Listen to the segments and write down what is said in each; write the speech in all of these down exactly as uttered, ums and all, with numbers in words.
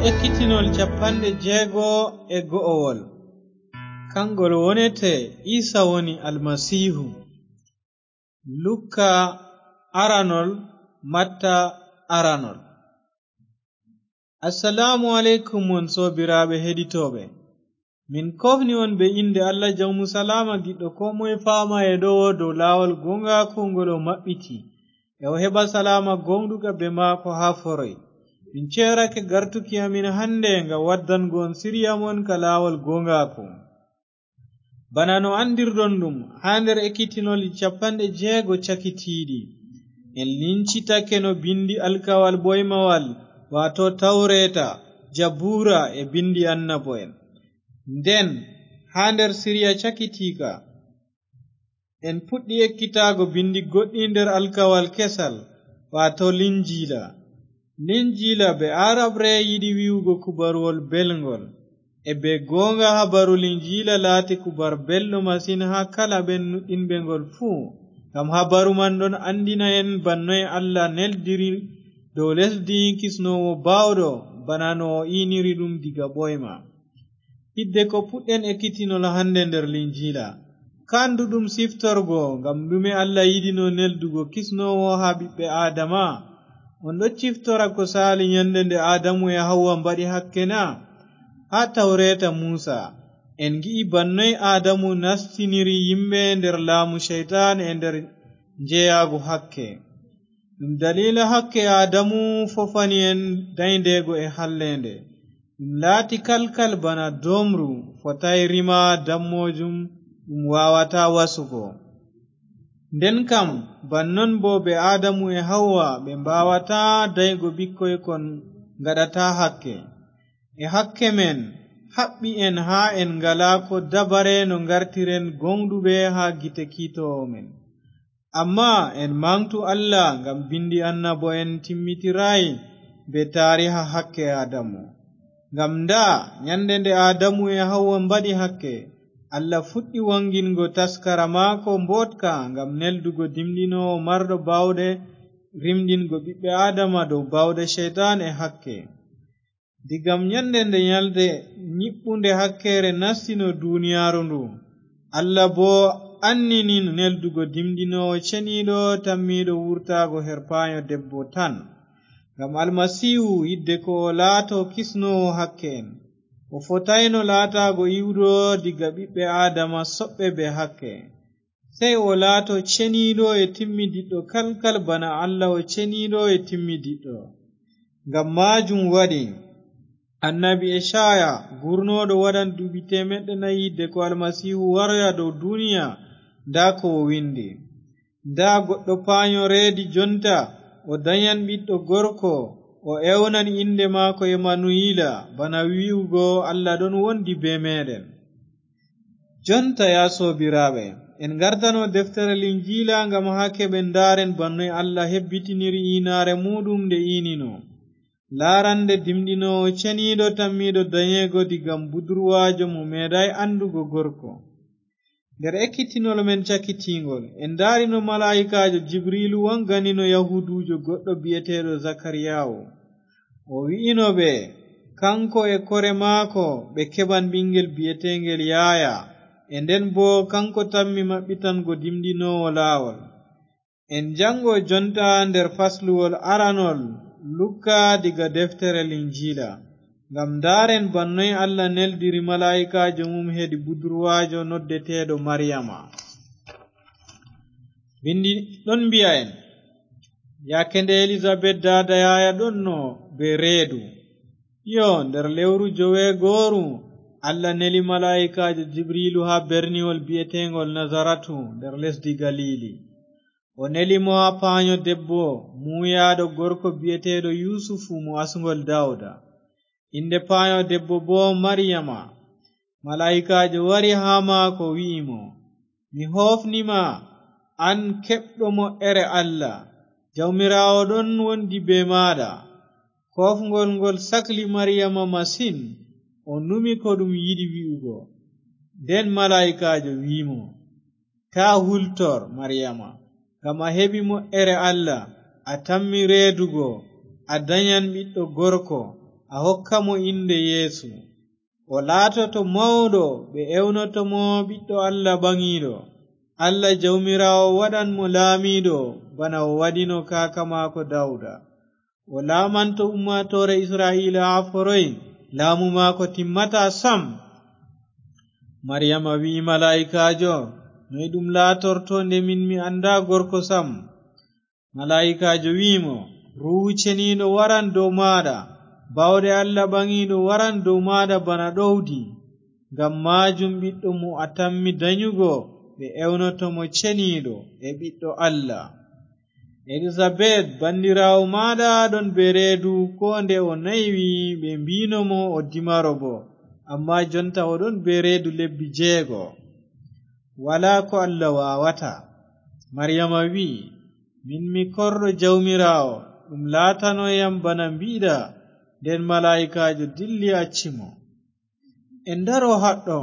Ekkitinol capanɗe jeego e go'owol. Kangol wonete Iisa woni Almasiihu. Lukka aranol, Matta aranol. Assalaamu aleykum, on soobiraaɓe heɗitooɓe. Min koofni on be innde Allah Jawmu Salaama, giɗɗo koo moye faama e ɗowo dow laawol gooŋgaaku ngol o maɓɓiti, e o heɓa salaama gooŋɗuka be maako haa foroy. Min ceerake gartuki amin hande ngam waddango on siriya mon ka laawol gooŋgaaku. Bana no anndirɗon ɗum, haa nder ekkitinolji capanɗe jeego cakitiiɗi, en lincitake no bindi alkawal boymawal, waato Tawreeta, Jabuura e bindi annabo'en. Nden, haa nder siriya cakitiika, en puɗɗi ekkitaago bindi goɗɗi nder alkawal kesal, waato Linjiila. Linjiila be Aarabre yiɗi wi'ugo kubaruwol belŋgol. E be gooŋga habaru Linjiila laati kubar belɗo masin haa kala ɓen nuɗɗinɓe ngol fuu. Ngam habaru man ɗon anndina en bannoy Allah neldiri dow lesdi kisnoowo baawɗo, bana no o iiniri ɗum diga ɓoyma. Hidde ko puɗɗen ekkitinol hande nder Linjiila. Kanduɗum siftorgo, ngam ɗume Allah yiɗino neldugo kisnoowo haa ɓiɓɓe Aadama? On ɗo ciftora ko saali nyande nde Aadamu e Hawwa mbaɗi hakke na? Haa Tawreeta Muusa, en ngi'i bannoy Aadamu nastiniri yimɓe nder laamu Ceytaan e nder njeyaagu hakke. Ɗum daliila hakke Aadamu fofani en dayndeego e halleende. Ɗum laati kalkal bana doomru, fotaay rima dammoojum, ɗum waawataa wasugo. Nden kam, bannon boo ɓe Aadamu e Hawwa ɓe mbaawataa daygo ɓikkoy kon ngaɗataa hakke. E hakke men, haɓɓi en haa en ngalaa ko dabare no ngartiren gooŋɗuɓe haa gite kiitoowo men. Ammaa en maŋgtu Allah ngam bindi annabo'en timmitiraay bee taariha hakke Aadamu. Ngam ndaa, nyande nde Aadamu e Hawwa mbaɗi hakke, Allah fuɗɗi waŋgingo taskara maako mbooɗka ngam neldugo dimɗinoowo marɗo baawɗe rimɗingo ɓiɓɓe Aadama dow baawɗe Ceytaan e hakke. Digam nyande nde nyalde nyiɓɓunde hakkeere nastino duniyaaru ndu, Allah boo annini neldugo dimɗinoowo ceniiɗo tammiiɗo wurtaago her paanyo debbo tan. Ngam Almasiihu, yidde ko o laato kisnoowo hakke'en, o fotayno laataago iwɗo diga ɓiɓɓe Aadama soɓɓe bee hakke. Sey o laato ceniiɗo e timmidiɗɗo kalkal bana Allah o ceniiɗo e timmidiɗɗo. Ngam maajum waɗi annabi Ecaaya, gurnooɗo waɗan duuɓi teemeɗɗe nayi yidde ko Almasiihu waroya dow duniya, ndaa ko o windi: "Ndaa, goɗɗo paanyo reedi jonta, o danyan ɓiɗɗo gorko, o ewnan innde maako Emanuwiila, bana wi'ugo Allah ɗon wondi bee meeɗen." Jonta, yaa soobiraaɓe, en ngartano deftere Linjiila ngam haa keɓen ndaaren bannoy Allah hebbitiniri iinaare muuɗum nde iinino. Laarande dimɗinoowo ceniiɗo tammiiɗo danyeego digam budurwaajo mo meeɗaay anndugo gorko. Nder ekkitinol men cakitiiŋgol, en ndaarino malaa'ikaajo Jibriilu waŋganino Yahuuduujo goɗɗo bi'eteeɗo Zakariyaawu. O wi'ino ɓe, kaŋko e kore maako ɓe keɓan ɓiŋngel bi'eteeŋgel Yaaya, e nden boo kaŋko tammi maɓɓitango dimɗinoowo laawol. En jaŋgo jonta nder fasluwol aranol Lukka diga deftere Linjiila, ngam ndaaren bannoy Allah neldiri malaa'ikaajo mum hedi budurwaajo noddeteeɗo Maryama. Bindi ɗon mbi'a en, yaake nde Elizabet daada Yaaya ɗonno bee reedu, iyo, nder lewru joweegooru, Allah neli malaa'ikaajo Jibriilu haa berniwol bi'eteeŋgol Nazaratu nder lesdi Galiili. O neli mo haa paanyo debbo muuyaaɗo gorko bi'eteeɗo Yusufu mo asŋgol Dawda. Innde paanyo debbo boo Maryama. Malaa'ikaajo wari haa maako, wi'i mo, "Mi hoofni ma, an keɓɗo mo'ere Allah, Jawmiraawo ɗon wondi bee maaɗa." Koofŋgol ngol sakli Maryama masin, o numi ko ɗum yiɗi wi'ugo. Nden malaa'ikaajo wi'i mo, "Taa hultor, Maryama, ngam a heɓi mo'ere Allah, a tammi reedugo, a danyan ɓiɗɗo gorko, a hokka mo innde Yeesu. O laatoto mawɗo, ɓe ewnoto mo Ɓiɗɗo Allah Ɓaŋiiɗo. Allah Jawmiraawo waɗan mo laamiiɗo bana o waɗino kaaka maako Dawuda. O laamanto ummaatoore Isra'iila haa foroy, laamu maako timmataa sam. Mariyama wi'i malaa'ikaajo, "Noy ɗum laatorto nde min mi anndaa gorko sam?" Malaa'ikaajo wi'i mo, "Ruuhu Ceniiɗo waran dow maaɗa, baawɗe Allah Ɓaŋiiɗo waran dow maaɗa bana ɗowdi. Ngam maajum ɓiɗɗo mo a tammi danyugo, ɓe ewnoto mo Ceniiɗo e Ɓiɗɗo Allah. Elizabet, banndiraawo maaɗa ɗon bee reedu, koo nde o naywi, ɓe mbiino mo o dimaro boo, ammaa jonta o ɗon bee reedu lebbi jeego. Walaa ko Allah waawataa." Mariyama wi'i, "Min mi korɗo Jawmiraawo, ɗum laatano yam bana mbi'ɗa." Nden malaa'ikaajo dilli, acci mo. En ndaro haɗɗo,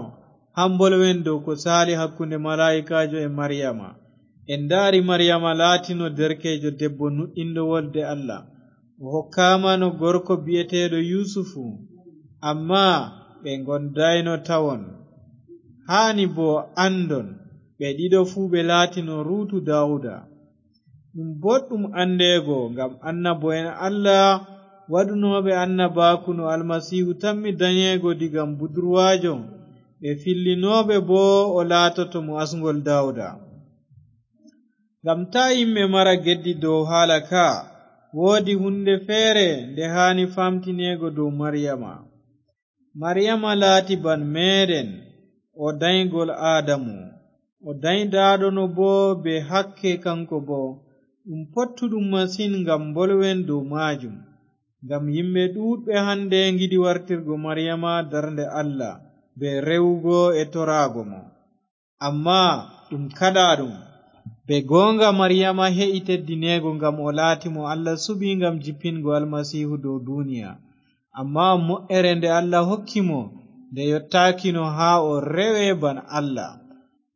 haa mbolwen dow ko saali hakkunde malaa'ikaajo e Mariyama. En ndaari Mariyama laatino derkeejo debbo nuɗɗinɗo wolde Allah. O hokkaama no gorko bi'eteeɗo Yusufu, ammaa ɓe ngondaayno tawon. Haani boo anndon, ɓe ɗiɗo fuu ɓe laatino ruutu Daawuda. Ɗum boɗɗum anndeego, ngam annabo'en Allah waɗunooɓe annabaaku no Almasiihu tammi danyeego diga budurwaajo, ɓe fillinooɓe boo o laatoto mo asŋgol Daawuda. Ngam taa yimɓe mara geddi dow haala ka, woodi huunde feere nde haani faamtineego dow Mariyama. Mariyama laati ban meeɗen, o danygol Aadamu. O danydaaɗono boo bee hakke kaŋko boo. Ɗum pottuɗum masin ngam mbolwen dow maajum. Ngam yimɓe ɗuuɗɓe hannde ngiɗi wartirgo Mariyama darnde Allah bee rewugo e toraago mo. Ammaa ɗum kaɗaaɗum. Bee gooŋga Mariyama he'i teddineego ngam o laati mo Allah suɓi ngam jippingo Almasiihu dow duniya. Ammaa mo'ere nde Allah hokki mo, nde yottaakino haa o rewe ban Allah.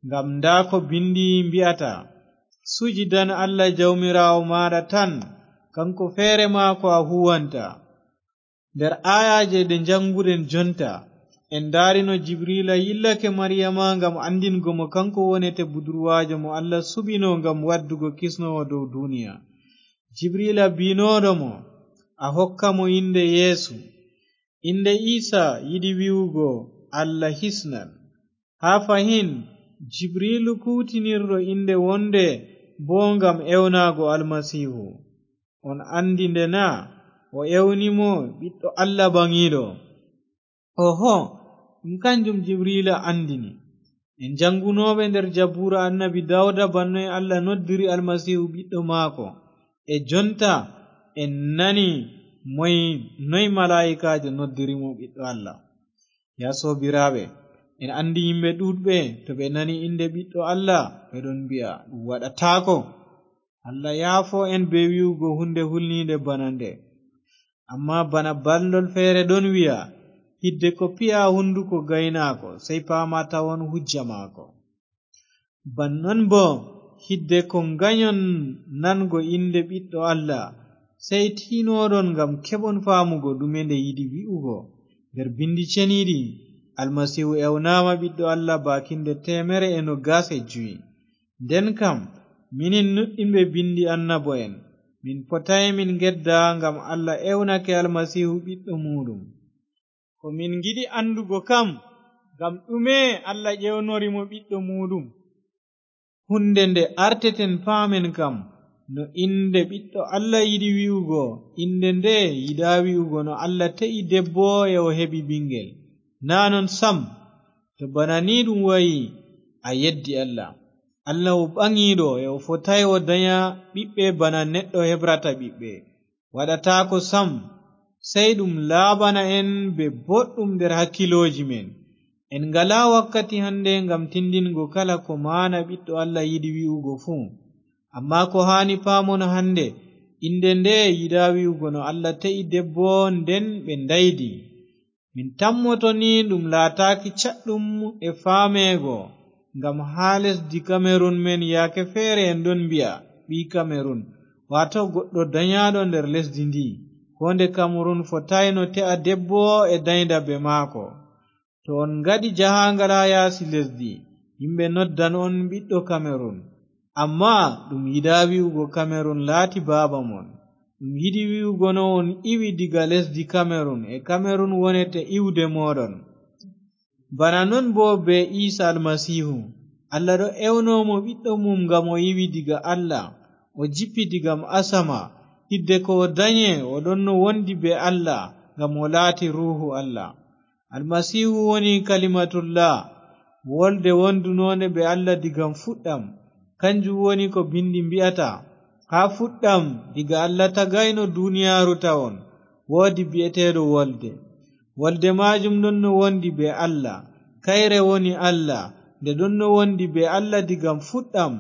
Ngam ndaa ko bindi mbi'ata, "Sujidan Allah Jawmiraawo maaɗa tan, kaŋko feere maako a huuwanta." Nder aayaaje ɗe njaŋnguɗen jonta, en ndaari no Jibriila yillake Mariyama ngam anndingo mo kaŋko wonete budurwaajo mo Allah suɓino ngam waddugo kisnoowo dow duniya. Jibriila bi'nooɗo mo, "A hokka mo innde Yeesu." Innde Iisa yiɗi wi'ugo Allah hisnan. Haa fahin, Jibriilu kuuwtinirɗo innde wonde boo ngam ewnaago Almasiihu. On anndi nde na? O ewni mo Ɓiɗɗo Allah Ɓaŋiiɗo. Oho, ɗum kanjum Jibriila anndini. En janngunooɓe nder Jabuura Annabi Dawda bannoy Allah noddiri Almasiihu Ɓiɗɗo maako. E jonta en nani moy, noy malaa'ikaajo noddiri mo Ɓiɗɗo Allah. Yaa soobiraaɓe, en anndi yimɓe ɗuuɗɓe, to ɓe nani innde Ɓiɗɗo Allah, ɓe ɗon mbi'a, "Ɗum waɗataako." Allah yaafo en bee wi'ugo huunde hulniinde bana nde. Ammaa bana balndol feere ɗon wi'a, "Hidde ko piya hunnduko gaynaako, sey paama tawon hujja maako." Ban non boo, hidde ko nganyon nango innde Ɓiɗɗo Allah, sey tiinoɗon ngam keɓon faamugo ɗume nde yiɗi wi'ugo. Nder Bindi Ceniiɗi, Almasiihu ewnaama Ɓiɗɗo Allah baakinde teemere e nogas e juy. Nden kam, minin nuɗɗinɓe bindi annabo'en, min potaay min ngedda ngam Allah ewnake Almasiihu Ɓiɗɗo muuɗum. Ko min ngiɗi anndugo kam, ngam ɗume Allah ƴeewnori mo Ɓiɗɗo muuɗum? Huunde nde arteten paamen kam, no innde Ɓiɗɗo Allah yiɗi wi'ugo, innde nde yiɗaa wi'ugo no Allah te'i debbo e o heɓi ɓiŋngel. Naa non sam, to bana ni ɗum wa'i, a yeddi Allah. Allah o ɓaŋiiɗo e o fotaay o danya ɓiɓɓe bana neɗɗo hebrata ɓiɓɓe. Waɗataako sam, sey ɗum laaɓana en bee boɗɗum nder hakkilooji men. En ngalaa wakkati hannde ngam tindingo kala ko maana Ɓiɗɗo Allah yiɗi wi'ugo fuu. Ammaa ko haani paamon hannde, innde nde yiɗaa wi'ugo no Allah te'i debbo, nden ɓe ndaydi. Min tammoto ni ɗum laataaki caɗɗum e faameego, ngam haa lesdi Kamerun men yaake feere en ɗon mbi'a, "Ɓii Kamerun," waato goɗɗo danyaaɗo nder lesdi ndi. Ko nde Kamerun fotaayno te'a debbo e dayndabe maako. To on ngadi jahaangal haa yaasi lesdi, yimɓe noddan on ɓiɗɗo Kamerun. Ammaa ɗum yiɗaa wi'ugo Kamerun laati baaba mon. Ɗum yiɗi wi'ugo no on iwi diga lesdi Kamerun, e Kamerun wonete iwde mooɗon. Bana non boo bee Iisa Almasiihu. Allah ɗo ewno mo ɓiɗɗo mum ngam o iwi diga Allah, o jippi diga asama. Hidde ko o danye, o ɗonno wondi bee Allah, ngam o laati Ruuhu Allah. Almasiihu woni Kalimatullah, wolde wondunoonde bee Allah diga fuɗɗam. Kanjum woni ko bindi mbi'ata, haa fuɗɗam, diga Allah tagayno duniyaaru tawon, woodi bi'eteeɗo Wolde. Wolde maajum ɗonno wondi bee Allah. Kayre woni Allah, nde ɗonno wondi bee Allah diga fuɗɗam.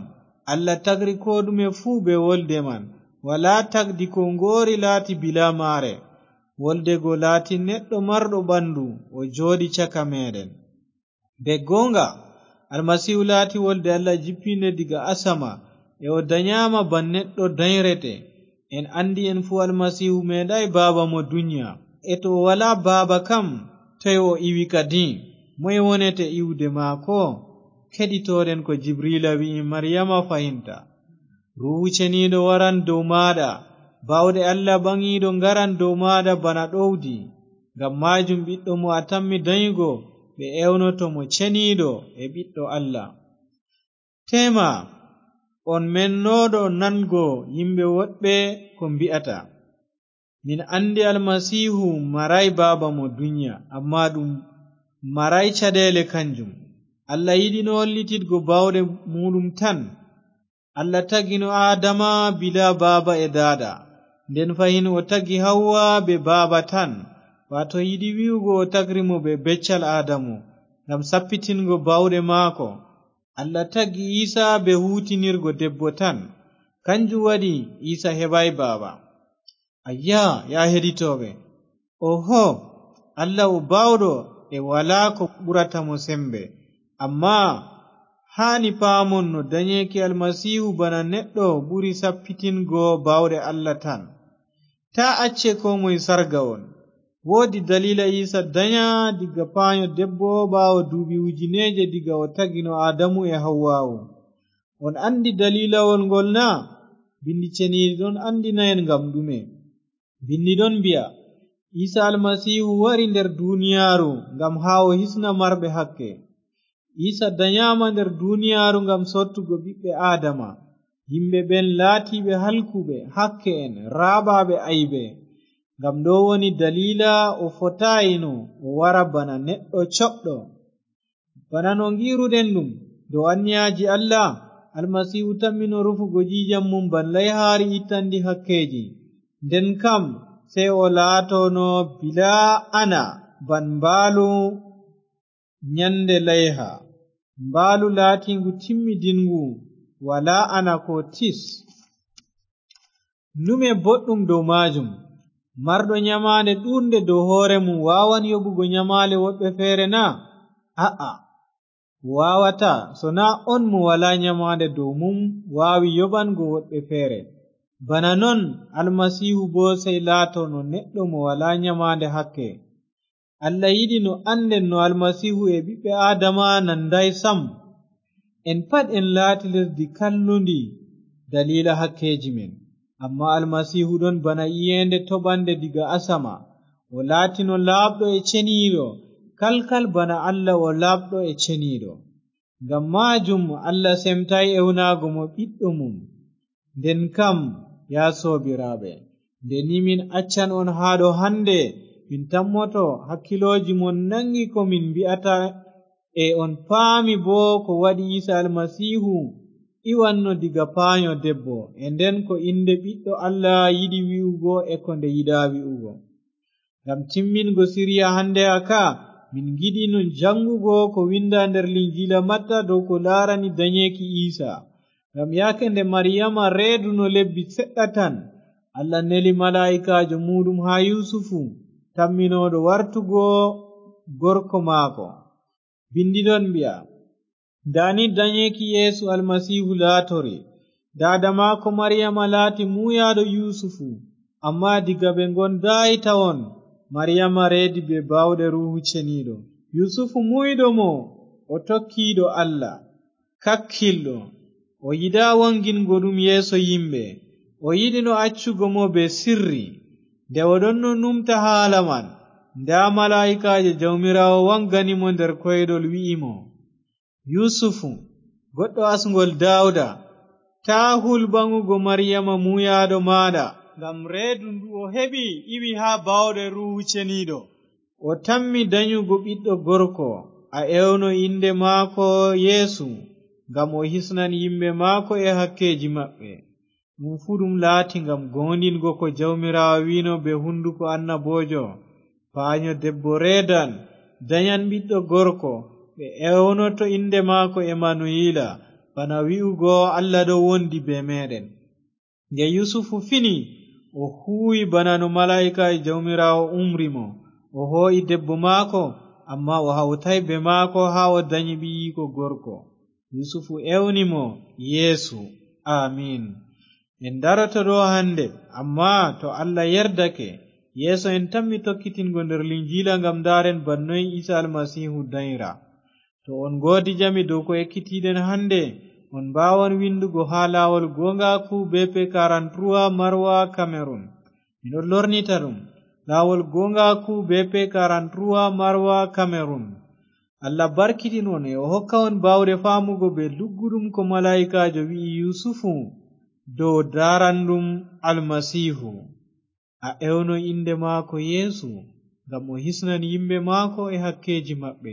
Allah tagri koo ɗume fuu bee Wolde man. Walaa tagdi ko ngoori laati bilaa maare. Wolde go laati neɗɗo marɗo ɓandu, o jooɗi caka meeɗen. Bee gooŋga, Almasiihu laati Wolde Allah jippiinde diga asama, e o danyaama ban neɗɗo danyrete. En anndi en fuu Almasiihu meeɗaay baaba mo dunya. E to o walaa baaba kam, toy o iwi kadi? Moy wonete iwde maako? Keɗitoɗen ko Jibriila wi'i Maryama fahinta. Ruuhu Ceniiɗo waran dow maaɗa, baawɗe Allah Ɓaŋiiɗo ngaran dow maaɗa bana ɗowdi. Ngam maajum ɓiɗɗo mo a tammi danyugo, ɓe ewnoto mo Ceniiɗo e Ɓiɗɗo Allah. Teema, on mennooɗo nango yimɓe woɗɓe ko mbi'ata. Min anndi Almasiihu maraay baaba mo dunya, ammaa ɗum maraay caɗeele kanjum. Allah yiɗino hollititgo baawɗe muuɗum tan. Allah tagino Aadama bilaa baaba e daada. Nden fahin o tagi Hawwa bee baaba tan, waato yiɗi wi'ugo o tagri mo bee beccal Aadamu, ngam sappitingo baawɗe maako. Allah tagi Iisa bee huutinirgo debbo tan. Kanjum waɗi Iisa heɓaay baaba. Ayya, yaa heɗitooɓe. Oho, Allah o baawɗo e walaa ko ɓurata mo sembe. Ammaa haani paamon no danyeeki Almasiihu bana neɗɗo ɓuri sappitingo baawɗe Allah tan. Taa acce koo moy sarga on. Woodi daliila Iisa danya diga paanyo debbo ɓaawo duuɓi ujineeje diga o tagino Aadamu e Hawwaawu. On anndi daliilawol ngol na? Bindi Ceniiɗi ɗon anndina en ngam ɗume. Bindi ɗon mbi'a, Iisa Almasiihu wari nder duniyaaru ngam haa o hisna marɓe hakke. Iisa danyaama nder duniyaaru ngam sottugo ɓiɓɓe Aadama, yimɓe ɓen laatiiɓe halkuɓe, hakke'en, raaɓaaɓe aybe. Ngam ɗo woni daliila o fotaayino o wara bana neɗɗo coɓɗo. Bana no ngi'ruɗen ɗum dow anniyaaji Allah, Almasiihu tammino rufugo ƴiiƴam mum ban layhaari ittanndi hakkeeji. Nden kam, sey o laatono bilaa ana ban mbaalu nyande layha, mbaalu laatiingu timmidinngu, walaa ana koo tis. Ndume boɗɗum dow maajum? Marɗo nyamaande ɗuuɗnde dow hoore mum waawan yoɓugo nyamaale woɗɓe feere na? A'a, waawataa, so naa on mo walaa nyamaande dow mum waawi yoɓango woɗɓe feere. Bana non, Almasiihu boo sey laatono neɗɗo mo walaa nyamaande hakke. Allah yiɗi no annden no Almasiihu e ɓiɓɓe Aadama nandaay sam. En pat en laati lesdi kallundi daliila hakkeeji men. Ammaa Almasiihu ɗon bana iyeende toɓannde diga asama. O laatino laaɓɗo e ceniiɗo, kalkal bana Allah o laaɓɗo e ceniiɗo. Ngam maajum Allah semtaay ewnaago mo ɓiɗɗo mum. Nden kam, yaa soobiraaɓe, nde ni min accan on haa ɗo hannde, min tammoto hakkilooji mon naŋgi ko min mbi'ata, e on paami boo ko waɗi Iisa Almasiihu iwanno diga paanyo debbo, e nden ko innde Ɓiɗɗo Allah yiɗi wi'ugo e ko nde yiɗaa wi'ugo. Ngam timmingo siriya hannde a ka, min ngiɗi no janngugo ko winnda nder Linjiila Matta dow ko laarani danyeeki Iisa. Ngam yaake nde Mariyama reeduno lebbi seɗɗa tan, Allah neli malaa'ikaajo muuɗum haa Yusufu, tamminooɗo wartugo gorko maako. Bindi ɗon mbi'a, ndaa ni danyeeki Yeesu Almasiihu laatori. Daada maako Mariyama laati muuyaaɗo Yusufu. Amma diga ɓe ngondaay tawon, Mariyama reedi be baawɗe Ruuhu Ceniiɗo. Yusufu muuyɗo mo, o tokkiiɗo Allah, kakkilɗo. O yiɗaa wangingo ɗum yeeso yimɓe. O yiɗino accugo mo be sirri. Nde o ɗonno numta haala man, ndaa malaa'ikaajo Jawmiraawo wangani mo nder koyɗol, wi'i mo, "Yusufu, goɗɗo asŋgol Daawuda, taa hul ɓaŋugo Mariyama muuyaaɗo maaɗa, ngam reedu ndu o heɓi iwi haa baawɗe Ruuhu Ceniiɗo. O tammi danyugo ɓiɗɗo gorko, a ewno innde maako Yeesu, ngam o hisnan yimɓe maako e hakkeeji maɓɓe." Ɗum fuu ɗum laati ngam gooŋɗingo ko Jawmiraawo wi'no bee hunduko annaboojo, "Paanyo debbo reedan, danyan ɓiɗɗo gorko, ɓe ewnoto innde maako Emanuwiila, bana wi'ugo, 'Allah ɗo wondi bee meeɗen.'" Nde Yusufu fini, o huuwi bana no malaa'ika Jawmiraawo umri mo. O hoo'i debbo maako, ammaa o hawtaay bee maako haa o danyi ɓiyiiko gorko. Yusufu ewni mo Yeesu. Amiin. En daroto ɗo hannde, ammaa to Allah yerdake, yeeso en tammi tokkitingo nder Linjiila ngam ndaaren bana noy Iisa Almasiihu danyra. To on ngoodi jami dow ko ekkitiiɗen hannde, on mbaawan winndugo haa Laawol Gooŋgaaku B P quarante-trois Marwa Cameroon. Miɗo lornita ɗum, Laawol Gooŋgaaku B P quarante-trois Marwa Cameroon. Allah barkiɗin on e o hokka on baawɗe faamugo bee lugguɗum ko malaa'ikaajo wi'i Yusufu dow daaranɗum Almasiihu. A ewno innde maako Yeesu, ngam o hisnan yimɓe maako e hakkeeji maɓɓe.